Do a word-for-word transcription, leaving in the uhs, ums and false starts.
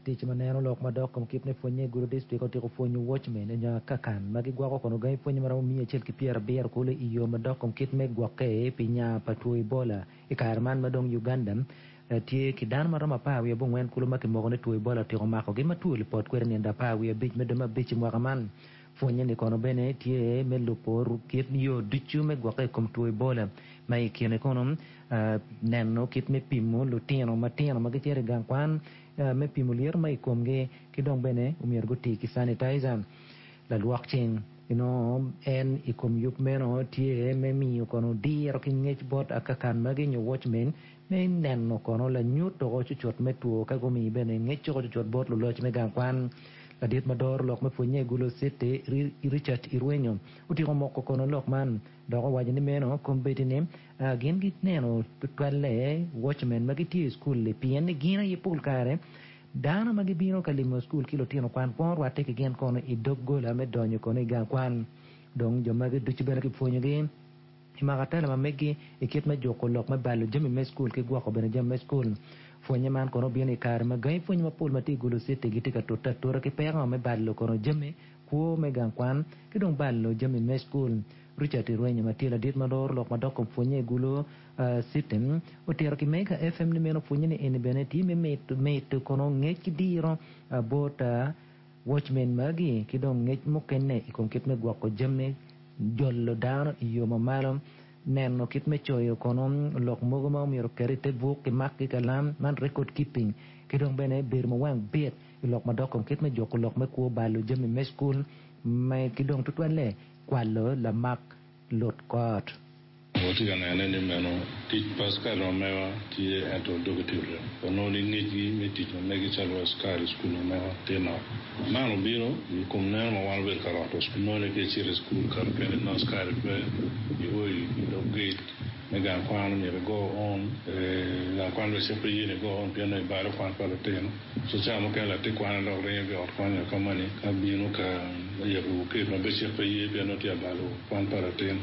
Tic ma neno lok madok kom kit me pwonye i Gulu District otyeko pwonyo watchmen nyo akakan ma gigwoko kono gangi pwonye maromo miya acel ki pyerabiro kulu i yo madok kom kit me gwokke pi nya pa two Ebola i kare man ma dong Uganda tye ki dano maromo apar wiye abongwen kulu ma kimoko ni two Ebola otyeko makogi ma two lipot kwede nindo apar wiye abic me dwe me abic i mwaka man pwonye ni kono bene tye me lubo kit yo ducu me gwokke i kom two Ebola ma i kine kono neno kit me pimo lutino matino ma gicito i gang kwan me pimo lyeto ma i komgi ki dong bene omyero guti ki sanitizer lalwok cing inongo en i kom yub meno tye me miyo kono diro ki ngec bot akakan magi nyo watchmen me neno kono lanyut oko cucut me two ka gumi bene ngec oko cucut bot luloc me gang kwan ladit ma doro lok me pwonye i Gulu City Richard Irwenyo otyeko moko kono lok man dok owaco ni meno kombeddi ni gin gineno tutwalle watchmen ma gitye i skul pien ni gin aye pol kare dano ma gibino ka limo skul ki lutino kwan kwongo rwatte ki gin kono i doggola me donyo kono i gang kwan dong jo magi ducu bene kipwonyogi imako atela ma megi i kit me juko lok me balo jami me skul ki gwoko bene jami me skul pwonye man kono obino i kare ma gangi pwony mapol ma tye i Gulu City gitye ka tute atura ki peko me balo kono jami kwo me gang kwan ki dong balo jami me skul Richard Irwenyo ma tye ladit ma doro lok madok kom pwonye i Gulu City otito ki Mega FM ni meno pwonye ni eni bene tye me mito kono ngec ki diro bot watchmen magi ki dong ngec mukene i kom kit me gwoko jami jolo dano i yo mamalo neno kit me coyo kono lok mogo ma omyero oket i te buk ki mak ki kalam man record keeping ki dong bene bedo ma wang bit i lok madok kom kit me juko lok me kwo balo jami me skul ki dong tutwalle kwalo lamak lut kot. Watye ka nene ni meno tic pa askari ma mewa tye ento dogi tye orem onongo ni ngecgi me tic ma megi calo askari i skul ma mewa tye nok man obino i kom neno ma wan obedo ka roto nongo ni ka icito i skul ka mukene nongo askari pe io i dog gate me gang kwan myero igo on gang kwan bene cik pe ye ni igo on pien nongo ibalo kwan pa lutino so cawa mukene latin kwan dok ringo ki i ot kwan nyo ka moni ka bino ka yabo gate ma be cik pe ye pien nongo tye abalo kwan pa latin.